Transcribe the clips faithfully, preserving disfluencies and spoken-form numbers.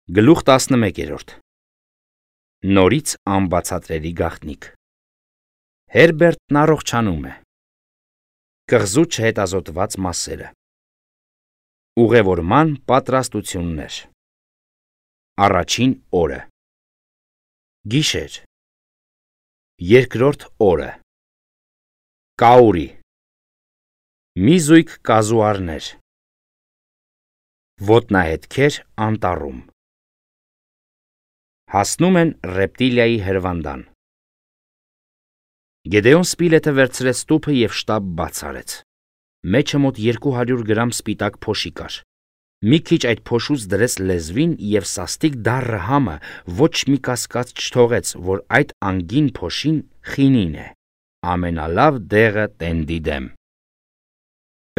Գլուխ տասնմեկերորդ Նորից անբացատրելի գաղտնիք Հերբերտն առողջանում է Կղզու չհետազոտված մասերը Ուղևորման պատրաստություններ Առաջին օրը Գիշեր Երկրորդ օրը Կաուրի Մի զույգ կազուարներ Ոտնահետքեր անտառում Հասնում են ռեպտիլիայի հրվանդան Գեդեոն Սպիլեթը վերցրեց տուփը և շտապ բաց արեց Մեջը մոտ երկու հարյուր գրամ սպիտակ փոշի կար Մի քիչ այդ փոշուց դրեց լեզվին և սաստիկ դառը համը ոչ մի կասկած չթողեց, որ այդ անգին փոշին խինին է, ամենալավ դեղը տենդի դեմ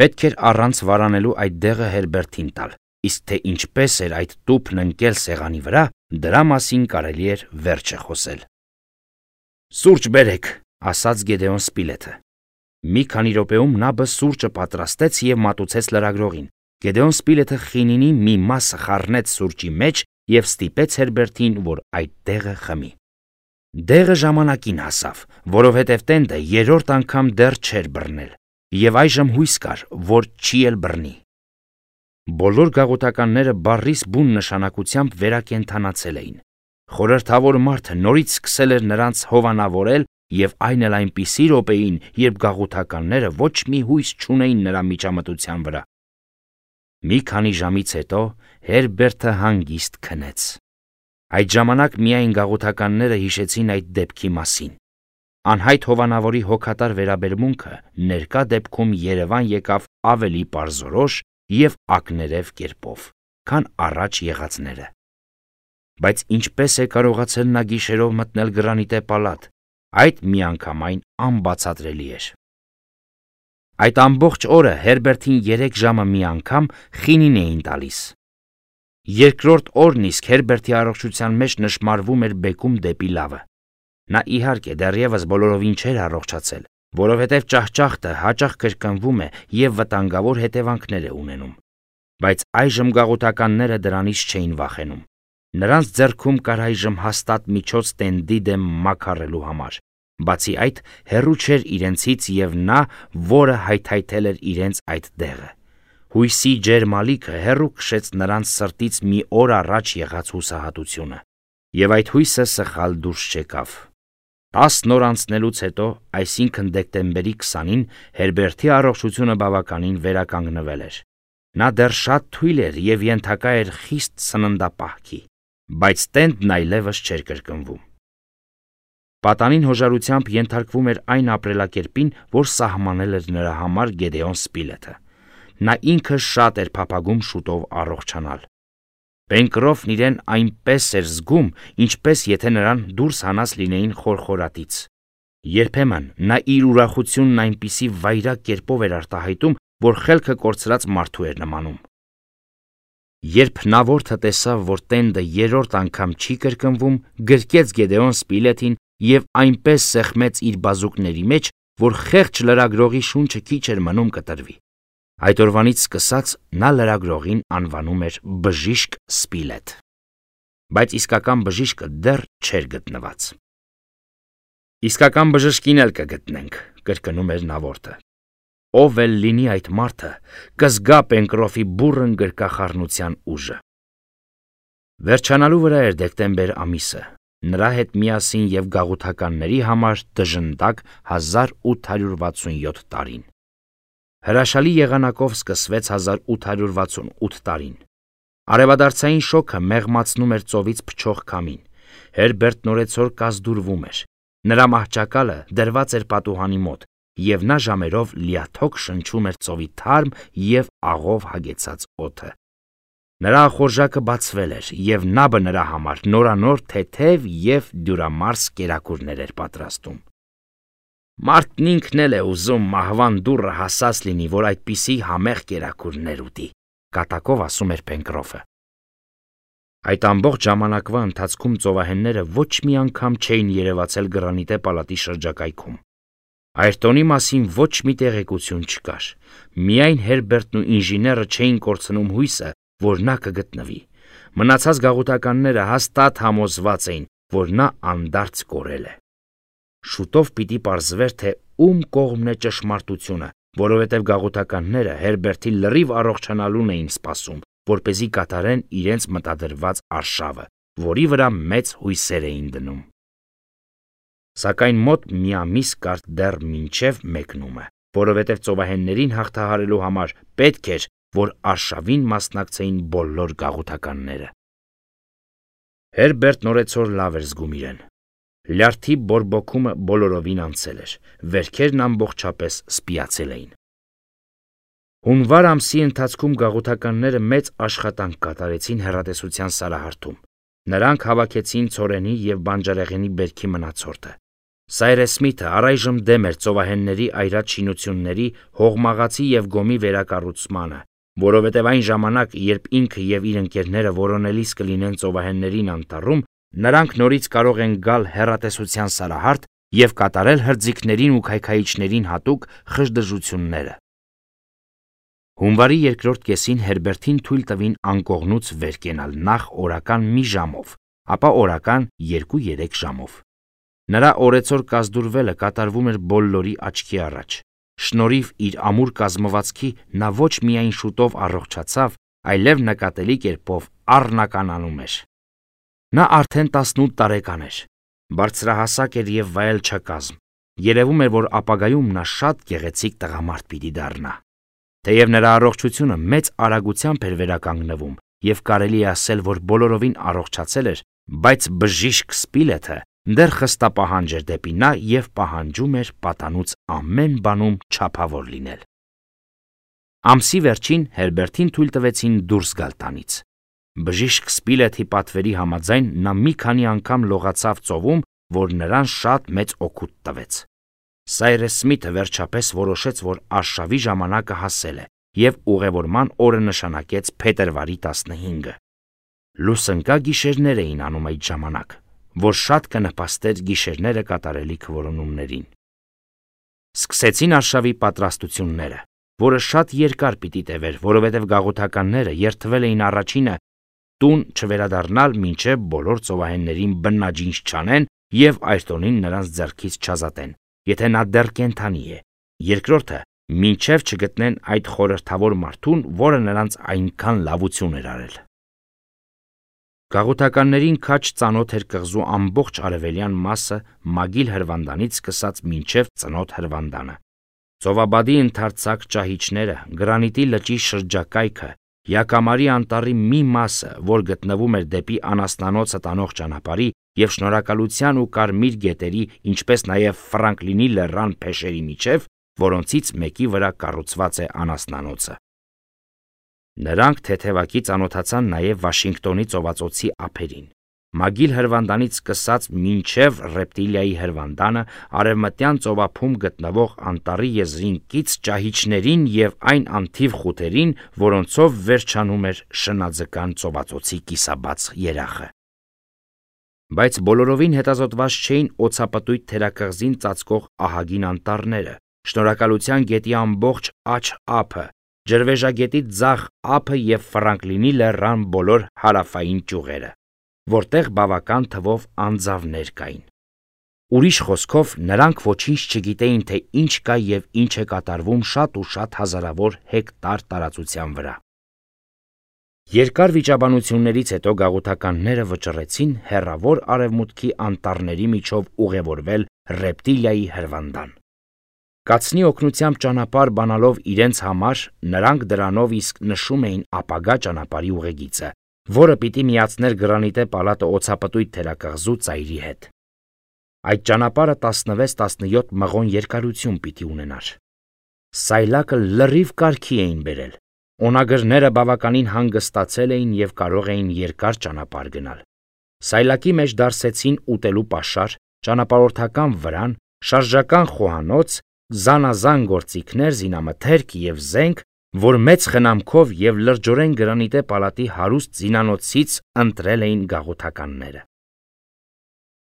Պետք էր առանց վարանելու այդ դեղը Հերբերտին տալ, իսկ թե ինչպես էր այդ տուփն ընկել սեղանի վրա, դրա մասին կարելի էր վերջը խոսել Սուրճ բերեք, ասաց Գեդեոն Սպիլեթը Մի քանի րոպեում նա սուրճը պատրաստեց և մատուցեց լրագրողին Գեդեոն Սպիլեթը խինինի մի մասը խառնեց սուրճի մեջ և ստիպեց Հերբերտին, որ այդ դեղը խմի Դեղը ժամանակին հասավ, որովհետև տենդը երրորդ անգամ դեռ չէր բռնել և այժմ հույս կար, որ չի էլ բռնի Բոլոր գաղութականները բառիս բուն նշանակությամբ վերակենդանացել էին Խորհրդավոր մարդը նորից սկսել էր նրանց հովանավորել և այն էլ այնպիսի րոպեին, երբ գաղութականները ոչ մի հույս չունեին նրա միջամտության վրա Մի քանի ժամից հետո Հերբերտը հանգիստ քնեց Այդ ժամանակ միայն գաղութականները հիշեցին այդ դեպքի մասին Անհայտ հովանավորի հոգատար վերաբերմունքը ներկա դեպքում երևան եկավ ավելի պարզորոշ և ակներև կերպով, քան առաջ եղածները Բայց ինչպես է կարողացել նա գիշերով մտնել գրանիտե պալատ, այդ միանգամայն անբացատրելի էր Այդ ամբողջ օրը Հերբերտին երեք ժամը մի անգամ խինին էին տալիս Երկրորդ օրն իսկ Հերբերտի առողջության մեջ նշմարվում էր բեկում դեպի լավը Նա իհարկե դեռևս բոլորովին չէր առողջացել, որովհետև ճահճախտը հաճախ կրկնվում է և վտանգավոր հետևանքներ է ունենում Բայց այժմ գաղութականները դրանից չէին վախենում Նրանց ձեռքում կար այժմ հաստատ միջոց տենդի դեմ մաքարելու համար Բացի այդ, հեռու չէր իրենցից և նա, որը հայթայթել էր իրենց այդ դեղը Հույսի ջերմ ալիքը հեռու քշեց նրանց սրտից մի օր առաջ եղած հուսահատությունը Եվ այդ հույսը սխալ դուրս չեկավ Տասն օր անցնելուց հետո, այսինքն դեկտեմբերի քսանին, Հերբերտի առողջությունը բավականին վերականգնվել էր Նա դեռ շատ թույլ էր և ենթակա էր խիստ սննդապահքի Բայց տենդն այլևս չէր կրկնվում Պատանին հոժարությամբ ենթարկվում էր այն ապրելակերպին, որ սահմանել էր նրա համար Գեդեոն Սպիլեթը Նա ինքը շատ էր փափագում շուտով առողջանալ Պենկրոֆն իրեն այնպես էր զգում, ինչպես եթե նրան դուրս հանած լինեին խորխորատից Երբեմն նա իր ուրախությունն այնպիսի վայրագ կերպով էր արտահայտում, որ խելքը կորցրած մարդու էր նմանում Երբ նավորդը տեսավ, որ տենդը երրորդ անգամ չի կրկնվում, գրկեց Գեդեոն Սպիլեթին և այնպես սեղմեց իր բազուկների մեջ, որ խեղճ լրագրողի շունչը քիչ էր մնում կտրվի Այդ օրվանից սկսած նա լրագրողին անվանում էր Բժիշկ Սպիլեթ Բայց իսկական բժիշկը դեռ չէր գտնված Իսկական բժշկին էլ կգտնենք, կրկնում էր նավորդը Ով էլ լինի այդ մարդը, կզգա Պենկրոֆի բուռն գրկախառնության ուժը Վերջանալու վրա էր դեկտեմբեր ամիսը Նրա հետ միասին և գաղութականների համար դժնդակ հազար ութ հարյուր վաթսունյոթ տարին Հրաշալի եղանակով սկսվեց հազար ութ հարյուր վաթսունութ տարին Արևադարձային շոգը մեղմացնում էր ծովից փչող քամին Հերբերտն օրեցօր կազդուրվում էր Նրա մահճակալը դրված էր պատուհանի մոտ և նա ժամերով լիաթոք շնչում էր ծովի թարմ և աղով հագեցած օդը Նրա ախորժակը բացվել էր և նաբը նրա համար նորանոր թեթև և դյուրամարս կերակուրներ էր պատրաստում Մարդն ինքն էլ է ուզում մահվան դուռը հասած լինի, որ այդպիսի համեղ կերակուրներ ուտի, կատակով ասում էր Պենկրոֆը Այդ ամբողջ ժամանակվա ընթացքում ծովահենները ոչ մի անգամ չէին երևացել գրանիտե պալատի շրջակայքում Այրտոնի մասին ոչ մի տեղեկություն չկար Միայն Հերբերտն ու ինժեները չէին կորցնում հույսը, որ նա կգտնվի Մնացած գաղութականները հաստատ համոզված էին, որ նա անդարձ կորել է։ Շուտով պիտի պարզվեր, թե ում կողմն է ճշմարտությունը, որովհետև գաղութականները Հերբերտի լրիվ առողջանալուն էին սպասում, որպեսզի կատարեն իրենց մտադրված արշավը, որի վրա մեծ հույսեր էին դնում։ Սակայն մոտ մի ամիս կար դեռ մինչև մեկնումը, որովհետև ծովահեններին հաղթահարելու համար պետք էր, որ արշավին մասնակցեին բոլոր գաղութականները։ Հերբերտն օրեցօր լավ էր զգում իրեն։ Լյարդի բորբոքումը բոլորովին անցել էր, վերքերն ամբողջապես սպիացել էին։ Հունվար ամսի ընթացքում գաղութականները մեծ աշխատանք կատարեցին հեռատեսության սարահարթում։ Նրանք հավաքեցին ցորենի և բանջարեղենի բերքի մնացորդը։ Սայրես Սմիթը առայժմ դեմ էր ծովահենների այրած շինությունների, հողմաղացի և գոմի վերակառուցմանը, որովհետև այն ժամանակ, երբ ինքը և իր ընկերները որոնելիս կլինեն ծովահեններին անտառում, նրանք նորից կարող են գալ հեռատեսության սարահարթ և կատարել հրձիգներին ու քայքայիչներին հատուկ խժդժությունները։ Հունվարի երկրորդ կեսին Հերբերտին թույլ տվին անկողնուց վեր կենալ նախ օրական մի ժամով, ապա օրական երկու-երեք ժամով։ Նրա օրեցօր կազդուրվելը կատարվում էր բոլորի աչքի առաջ։ Շնորհիվ իր ամուր կազմվածքի նա ոչ միայն շուտով առողջացավ, այլև նկատելի կերպով առնականանում էր։ Նա արդեն տասնութ տարեկան էր, բարձրահասակ էր և վայելչակազմ։ Երևում էր, որ ապագայում նա շատ գեղեցիկ տղամարդ պիտի դառնա։ Թեև նրա առողջությունը մեծ արագությամբ էր վերականգնվում և կարելի է ասել, որ բոլորովին առողջացել էր, բայց բժիշկ Սպիլեթը դեռ խստապահանջ էր դեպի նա և պահանջում էր պատանուց ամեն բանում չափավոր լինել։ Ամսի վերջին Հերբերտին թույլ տվեցին դուրս գալ տանից։ Բժիշկ Սպիլեթի պատվերի համաձայն նա մի քանի անգամ լողացավ ծովում, որ նրան շատ մեծ օգուտ տվեց։ Սայրես Սմիթը վերջապես որոշեց, որ արշավի ժամանակը հասել է և ուղևորման օրը նշանակեց փետրվարի տասնհինգը։ Լուսնկա գիշերներ էին անում այդ ժամանակ, որ շատ կնպաստեր գիշերները կատարելիք որոնումներին։ Սկսեցին արշավի պատրաստությունները, որը շատ երկար պիտի տևեր, որովհետև գաղութականները երդվել էին առաջինը տուն չվերադառնալ, մինչև բոլոր ծովահեններին բնաջինջ չանեն և Այրտոնին նրանց ձեռքից չազատեն, եթե նա դեռ կենդանի է, երկրորդը մինչև չգտնեն այդ խորհրդավոր մարդուն, որը նրանց այնքան լավություն էր արել։ Գաղութականներին քաջ ծանոթ էր կղզու ամբողջ արևելյան մասը Մագիլ հրվանդանից սկսած մինչև Ծնոտ հրվանդանը։ Ծովաբադի ընդարձակ ճահիճները, Գրանիտի լճի շրջակայքը, Յակամարի անտառի մի մասը, որ գտնվում էր դեպի Անասնանոցը տանող ճանապարհի և Շնորհակալության ու Կարմիր գետերի, ինչպես նաև Ֆրանկլինի լեռան փեշերի միջև, որոնցից մեկի վրա կառուցված է Անասնանոցը։ Նրանք թեթևակի ծանոթացան նաև Վաշինգտոնի ծովածոցի ափերին։ Մագիլ հրվանդանից սկսած մինչև Ռեպտիլիայի հրվանդանը, արևմտյան ծովափում գտնվող անտառի եզրին կից ճահիճներին և այն անթիվ խութերին, որոնցով վերջանում էր Շնաձկան ծովածոցի կիսաբաց երախը։ Բայց բոլորովին հետազոտված չէին օձապտույտ թերակղզին ծածկող ահագին անտառները, Շնորհակալության գետի ամբողջ աջ ափը, Ջրվեժագետի ձախ ափը և Ֆրանկլինի լեռան բոլոր հարավային ճյուղերը, որտեղ բավական թվով անձավներ կային։ Ուրիշ խոսքով, նրանք ոչինչ չգիտեին, թե ինչ կա և ինչ է կատարվում շատ ու շատ հազարավոր հեկտար տարածության վրա։ Երկար վիճաբանություններից հետո գաղութականները վճռեցին հեռավոր արևմուտքի անտառների միջով ուղևորվել Ռեպտիլիայի հրվանդան։ Կացնի օգնությամբ ճանապարհ բանալով իրենց համար, նրանք դրանով իսկ նշում էին ապագա ճանապարհի ուղեգիծը, որը պիտի միացներ Գրանիտե պալատը օձապտույտ թերակղզու ծայրի հետ։ Այդ ճանապարհը տասնվեց տասնյոթ մղոն երկարություն պիտի ունենար։ Սայլակը լրիվ կարգի էին բերել։ Օնագրները բավականին հանգստացել էին և կարող էին երկար ճանապարհ գնալ։ Սայլակի մեջ դարսեցին ուտելու պաշար, ճանապարհորդական վրան, շարժական խոհանոց, զանազան գործիքներ, զինամթերք և զենք, որ մեծ խնամքով և լրջորեն Գրանիտե պալատի հարուստ զինանոցից ընտրել էին գաղութականները։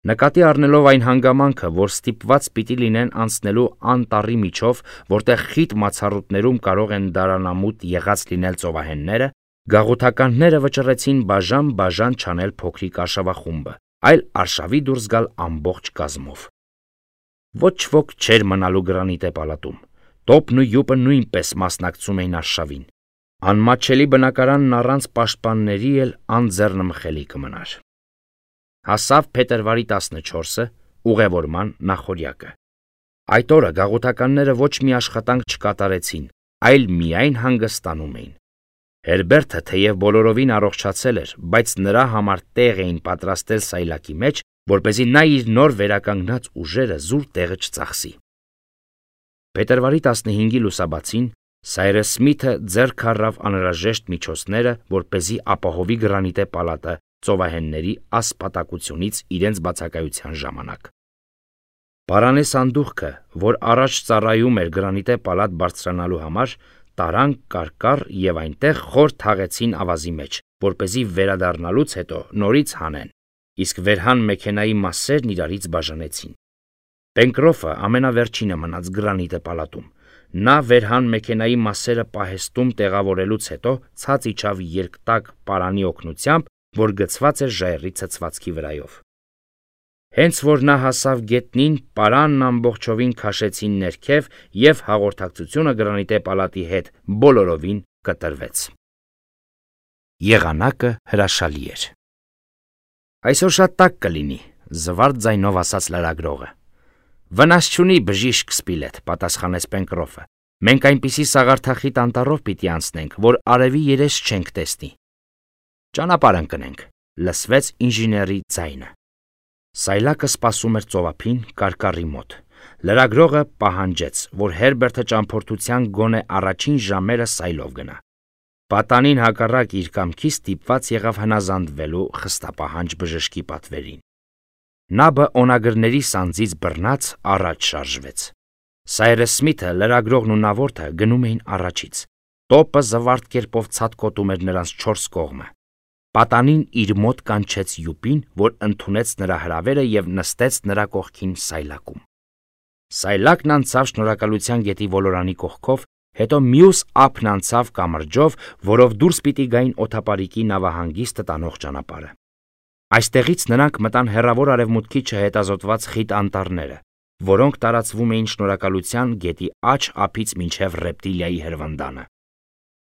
Նկատի առնելով այն հանգամանքը, որ ստիպված պիտի լինեն անցնելու անտառի միջով, որտեղ խիտ մացառուտներում կարող են դարանամուտ եղած լինել ծովահենները, Գաղութականները վճռեցին բաժան-բաժան չանել փոքրիկ արշավախումբը, այլ արշավի դուրս գալ ամբողջ կազմով։ Ոչ ոք չէր մնալու գրանիտե պալատում։ Տոպն ու յուպը նույնպես մասնակցում էին արշավին։ Անմատչելի բնակարանն առանց պաշտպանների էլ անձեռնմխելի կմնար։ Հասավ փետրվարի տասնչորսը, ուղևորման նախօրյակը։ Այդ օրը գաղութականները ոչ մի աշխատանք չկատարեցին, այլ միայն հանգստանում էին։ Հերբերտը թեև բոլորովին առողջացել էր, բայց նրա համար տեղ էին պատրաստել սայլակի մեջ, որպեսզի նա իր նոր վերականգնած ուժերը զուր տեղը չծախսի։ Փետրվարի տասնհինգի լուսաբացին Սայրս Սմիթը ձեռք առավ անհրաժեշտ միջոցները, որպեսզի ապահովի գրանիտե պալատը ծովահենների ասպատակությունից իրենց բացակայության ժամանակ։ Պարանե սանդուղքը, որ առաջ ծառայում էր գրանիտե պալատ բարձրանալու համար, տարան կարկառ եւ այնտեղ խոր թաղեցին ավազի մեջ, որպեսզի վերադառնալուց հետո նորից հանեն, իսկ վերհան մեքենայի մասերն իրարից բաժանեցին։ Պենկրոֆը ամենավերջինը մնաց գրանիտե պալատում։ Նա վերհան մեքենայի մասերը պահեստում տեղավորելուց հետո ցած իջավ երկտակ պարանի օգնությամբ, որ գցված էր ժայռի ցցվածքի վրայով։ Հենց որ նա հասավ գետնին, պարանն ամբողջովին քաշեցին ներքև եւ հաղորդակցությունը գրանիտե պալատի հետ բոլորովին կտրվեց։ Եղանակը հրաշալի էր։ Այսօր շատ տաք կլինի, զվարթ ձայնով ասաց լրագրողը։ Վնաս չունի բժիշկ Սպիլետ, պատասխանեց Պենկրոֆը։ Մենք այնպիսի սաղարթախիտ անտառով պիտի անցնենք, որ արևի երես չենք տեսնի։ Ճանապարհ ընկնենք, լսվեց ինժեների ձայնը։ Սայլակը սպասում էր ծովափին կարկառի մոտ։ Լրագրողը պահանջեց, որ Հերբերտը ճամփորդության գոնե առաջին ժամերը սայլով գնա։ Պատանին հակառակ իր կամքի ստիպված եղավ հնազանդվելու խստապահանջ բժշկի պատվերին։ Նաբը օնագրների սանձից բռնած առաջ շարժվեց։ Սայրս Սմիթը, լրագրողն ու նավորդը գնում էին առաջից։ Տոպը զվարթ կերպով ցատկոտում էր նրանց չորս կողմը։ Պատանին իր մոտ կանչեց յուպին, որ ընդունեց նրա հրավերը եւ նստեց նրա կողքին սայլակում։ Սայլակն անցավ Շնորհակալության գետի ոլորանի կողքով, հետո մյուս ափն անցավ կամրջով, որով դուրս պիտի գային օթապարիկի նավահանգիստը տանող ճանապարհը։ Այստեղից նրանք մտան հեռավոր արևմուտքի չհետազոտված խիտ անտառները, որոնք տարածվում էին Շնորհակալության գետի աջ ափից մինչև Ռեպտիլիայի հրվանդանը։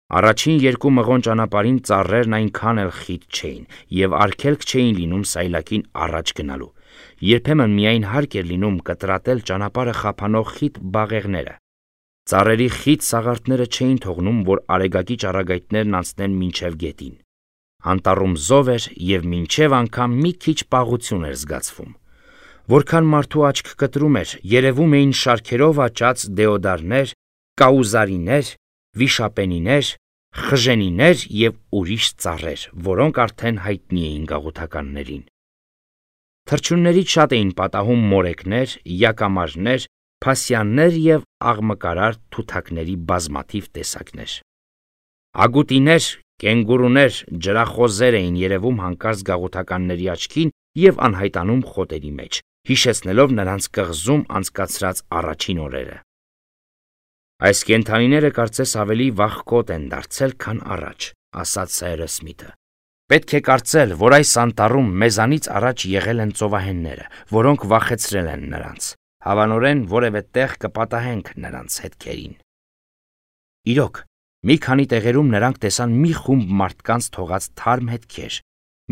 Առաջին երկու մղոն ճանապարհին ծառերն այնքան էլ խիտ չէին եւ արգելք չէին լինում սայլակին առաջ գնալու։ Երբեմն միայն հարկ էր լինում կտրատել ճանապարհը խափանող խիտ բաղեղները։ Ծառերի խիտ սաղարթները չէին թողնում, որ արեգակի ճառագայթներն անցնեն մինչև գետին։ Անտառում զով էր եւ մինչև անգամ մի քիչ պաղություն էր զգացվում։ Որքան մարդու աչք կտրում էր, երևում էին շարքերով աճած դեոդարներ, կաուզարիներ, վիշապենիներ, խժենիներ եւ ուրիշ ծառեր, որոնք արդեն հայտնի էին գաղութականներին։ Թռչուններից շատ էին պատահում մորեկներ, յակամարներ, փասյաններ եւ աղմկարար թութակների բազմաթիվ տեսակներ։ Ագուտիներ, կենգուրուներ, ջրախոզեր էին երևում հանկարծ գաղութականների աչքին եւ անհայտանում խոտերի մեջ, հիշեցնելով նրանց կղզում անցկացրած առաջին օրերը։ Այս կենդանիները կարծես ավելի վախկոտ են դարձել, քան առաջ, ասաց Սայրս Սմիթը։ Պետք է կարծել, որ այս անտառում մեզանից առաջ եղել են ծովահենները, որոնք վախեցրել են նրանց։ Հավանորեն որևէ տեղ կպատահենք նրանց հետքերին։ Իրոք, մի քանի տեղերում նրանք տեսան մի խումբ մարդկանց թողած թարմ հետքեր։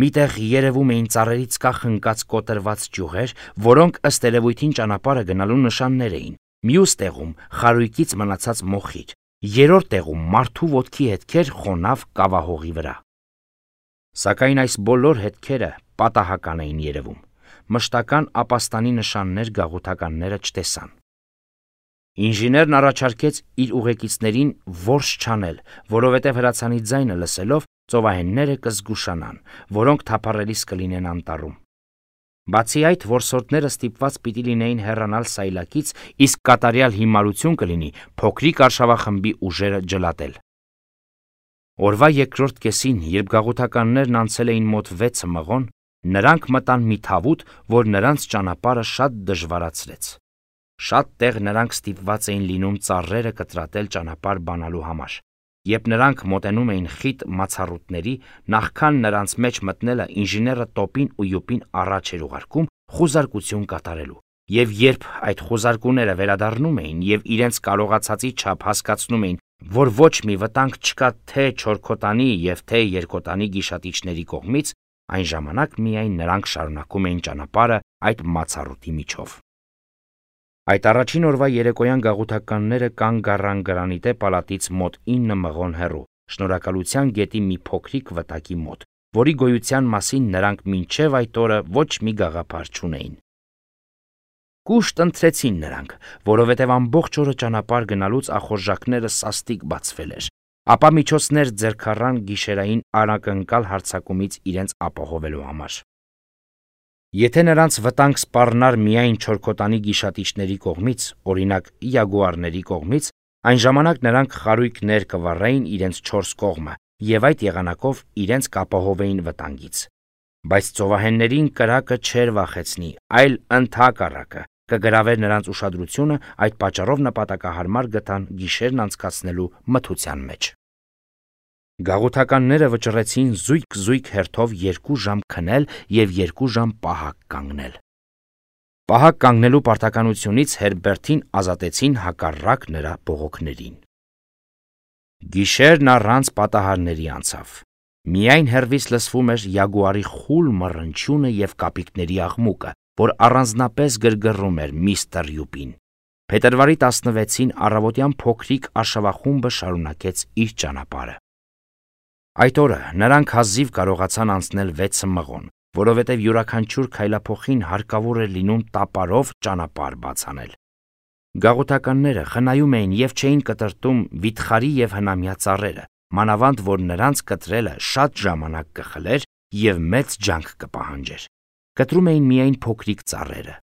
Միտեղ երևում էին ծառերից կախնկած կոտրված ճյուղեր, որոնք ըստ երևույթին ճանապարհը գնալու նշաններ էին։ Մյուս տեղում խարույկից մնացած մոխիր, երրորդ տեղում մարդու ոտքի հետքեր խոնավ կավահողի վրա։ Սակայն այս բոլոր հետքերը պատահական էին երևում։ Մշտական ապաստանի նշաններ գաղութականները չտեսան։ Ինժեներն առաջարկեց իր ուղեկիցներին որս չանել, որովհետև հրացանի ձայնը լսելով ծովահենները կզգուշանան, որոնք թափառելիս կլինեն անտառում։ Բացի այդ, որսորդները ստիպված պիտի լինեին հեռանալ սայլակից, իսկ կատարյալ հիմարություն կլինի փոքրիկ արշավախմբի ուժերը ջլատել։ Օրվա երկրորդ կեսին, երբ գաղութականներն անցել էին մոտ վեցը մղոն, նրանք մտան մի թավուտ, որ նրանց ճանապարհը շատ դժվարացրեց։ Շատ տեղ նրանք ստիպված էին լինում ծառերը կտրատել ճանապարհ բանալու համար, Երբ նրանք մոտենում էին խիտ մացառուտների, նախքան նրանց մեջ մտնելը ինժեները տոպին ու յուպին առաջ էր ուղարկում խուզարկություն կատարելու, եւ երբ այդ խուզարկուները վերադառնում էին եւ իրենց կարողացածի չափ հասկացնում էին, որ ոչ մի վտանգ չկա թե չորքոտանի եւ թե երկոտանի գիշատիչների կողմից, այն ժամանակ միայն նրանք շարունակում էին ճանապարհը այդ մացառուտի միջով։ Այդ առաջին օրվա երեկոյան գաղութականները կանգ առան գրանիտե պալատից մոտ ինը մղոն հեռու, Շնորհակալության գետի մի փոքրիկ վտակի մոտ, որի գոյության մասին նրանք մինչև այդ օրը ոչ մի գաղափար չունեին։ Կուշտ ընթրեցին նրանք, որովհետև ամբողջ օրը ճանապարհ գնալուց ախորժակները սաստիկ բացվել էր, ապա միջոցներ ձեռք առան գիշերային անակնկալ հարձակումից իրենց ապահովելու համար։ Եթե նրանց վտանգ սպառնար միայն չորքոտանի գիշատիչների կողմից, օրինակ յագուարների կողմից, այն ժամանակ նրանք խարույկներ կվառեին իրենց չորս կողմը եւ այդ եղանակով իրենց կապահովեին վտանգից։ Բայց ծովահեններին կրակը չէր վախեցնի, այլ ընդհակառակը կգրավեր նրանց ուշադրությունը, այդ պատճառով նպատակահարմար գտան գիշերն անցկացնելու մթության մեջ։ Գաղութականները վճռեցին զույգ-զույգ հերթով երկու ժամ քնել եւ երկու ժամ պահակ կանգնել։ Պահակ կանգնելու պարտականությունից Հերբերտին ազատեցին հակառակ նրա բողոքներին։ Գիշերն առանց պատահարների անցավ։ Միայն հեռվից լսվում էր յագուարի խուլ մռնչյունը եւ կապիկների աղմուկը, որ առանձնապես գրգռում էր միստր Յուպին։ Փետրվարի տասնվեցին առավոտյան փոքրիկ արշավախումբը շարունակեց իր ճանապարհը։ Այդ օրը նրանք հազիվ կարողացան անցնել վեցը մղոն, որովհետև յուրաքանչյուր քայլափոխին հարկավոր էր լինում տապարով ճանապարհ բացանել։ Գաղութականները խնայում էին եւ չէին կտրտում վիթխարի եւ հնամյա ծառերը, մանավանդ որ նրանց կտրելը շատ ժամանակ կխլեր եւ մեծ ջանք կպահանջեր։ Կտրում էին միայն փոքրիկ ծառերը։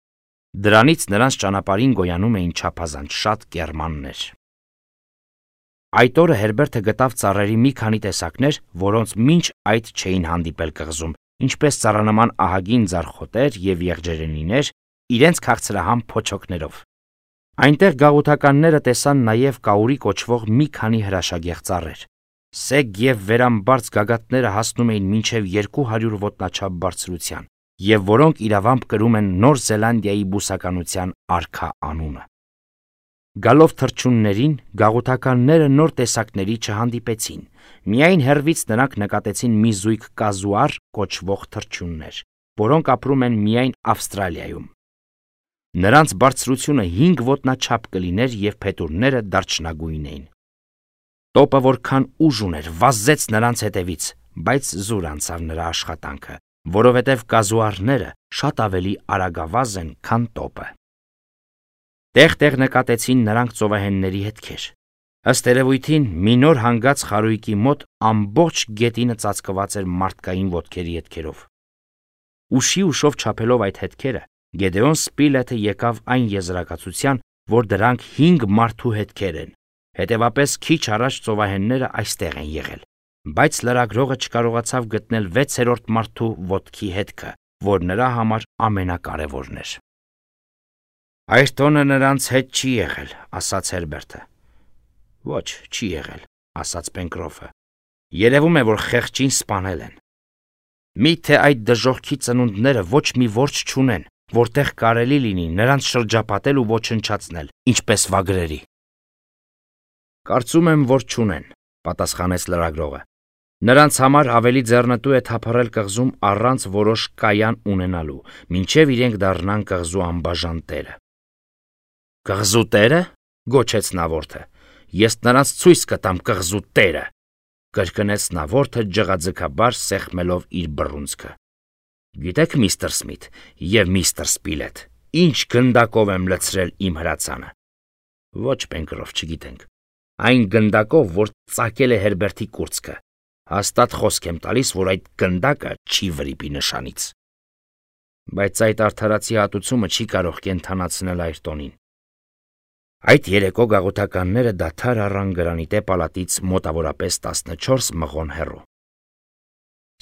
Դրանից նրանց ճանապարհին գոյանում էին չափազանց շատ կեռմաններ։ Այդ օրը Հերբերտը գտավ ծառերի մի քանի տեսակներ, որոնց մինչ այդ չէին հանդիպել կղզում, ինչպես ծառանման ահագին ձարխոտեր եւ եղջերենիներ, իրենց քաղցրահամ փոչոկներով։ Այնտեղ գաղութականները տեսան նաեւ կաուրի կոչվող մի քանի հրաշագեղ ծառեր։ Սեգ եւ վերամբարձ գագաթները հասնում էին մինչև երկու հարյուր ոտնաչափ բարձրության, եւ որոնք իրավամբ կրում են Նոր Զելանդիայի բուսականության արքա անունը։ Գալով թռչուններին, գաղութականները նոր տեսակների չհանդիպեցին, միայն հեռվից նրանք նկատեցին մի զույգ կազուար կոչվող թռչուններ, որոնք ապրում են միայն Ավստրալիայում։ Նրանց բարձրությունը հինգ ոտնաչափ կլիներ եւ փետուրները դարչնագույն էին։ Տոպը որքան ուժ ուներ, վազեց նրանց հետևից, բայց զուր անցավ նրա աշխատանքը, որովհետև կազուարները շատ ավելի արագավազ են, քան տոպը։ Տեղ-տեղ նկատեցին նրանք ծովահենների հետքեր։ Ըստ երևույթին, մի նոր հանգած խարույկի մոտ ամբողջ գետինը ծածկված էր մարդկային ոտքերի հետքերով։ Ուշի ուշով չափելով այդ հետքերը, Գեդեոն Սպիլեթը եկավ այն եզրակացության, որ դրանք հինգ մարդու հետքեր են, հետևապես քիչ առաջ ծովահենները այստեղ են եղել, բայց լրագրողը չկարողացավ գտնել վեցերորդ մարդու ոտքի հետքը, որ նրա համար ամենակարևորն էր։ Այս տոնը նրանց հետ չի եղել, ասաց Հերբերտը։ Ոչ, չի եղել, ասաց Պենկրոֆը։ Երևում է, որ խեղճին սպանել են։ Միթե այդ դժոխքի ծնունդները ոչ մի որջ չունեն, որտեղ կարելի լինի նրանց շրջապատել ու ոչնչացնել, ինչպես վագրերի։ Կարծում եմ, որ չունեն, պատասխանեց լրագրողը։ Նրանց համար ավելի ձեռնտու է թափառել կղզում առանց որոշ կայան ունենալու, մինչև իրենք դառնան կղզու անբաժան տերը։ Կղզու տերը, գոչեց Նավորդը, ես նրանց ցույց կտամ կղզու տերը, կրկնեց Նավորդը ջղաձգաբար սեղմելով իր բռունցքը։ Գիտեք, միստր Սմիթ եւ միստր Սպիլեթ, ինչ գնդակով եմ լցրել իմ հրացանը։ Ոչ, Պենկրոֆ, չգիտենք։ Այն գնդակով, որ ծակել է Հերբերտի կուրծքը։ Հաստատ խոսք եմ տալիս, որ այդ գնդակը չի վրիպի նշանից։ Բայց այդ արդարացի հատուցումը չի կարող կենթանացնել Այրտոնին։ Այդ երեկո գաղութականները դադար առան գրանիտե պալատից մոտավորապես տասնչորս մղոն հեռու։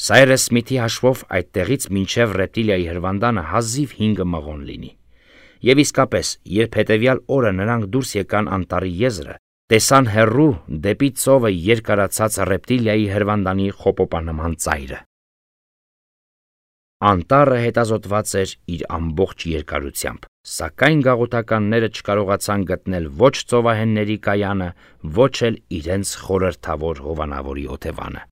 Սայրես Սմիթի հաշվով այդտեղից մինչև Ռեպտիլիայի հրվանդանը հազիվ հինգ մղոն լինի։ Եվ իսկապես, երբ հետևյալ օրը նրանք դուրս եկան անտառի եզրը, տեսան հեռու դեպի ծովը երկարացած ռեպտիլիայի հրվանդանի խոպոպանման ծայրը։ Անտառը հետազոտված էր իր ամբողջ երկարությամբ, սակայն գաղութականները չկարողացան գտնել ոչ ծովահենների կայանը, ոչ էլ իրենց խորհրդավոր հովանավորի օթևանը։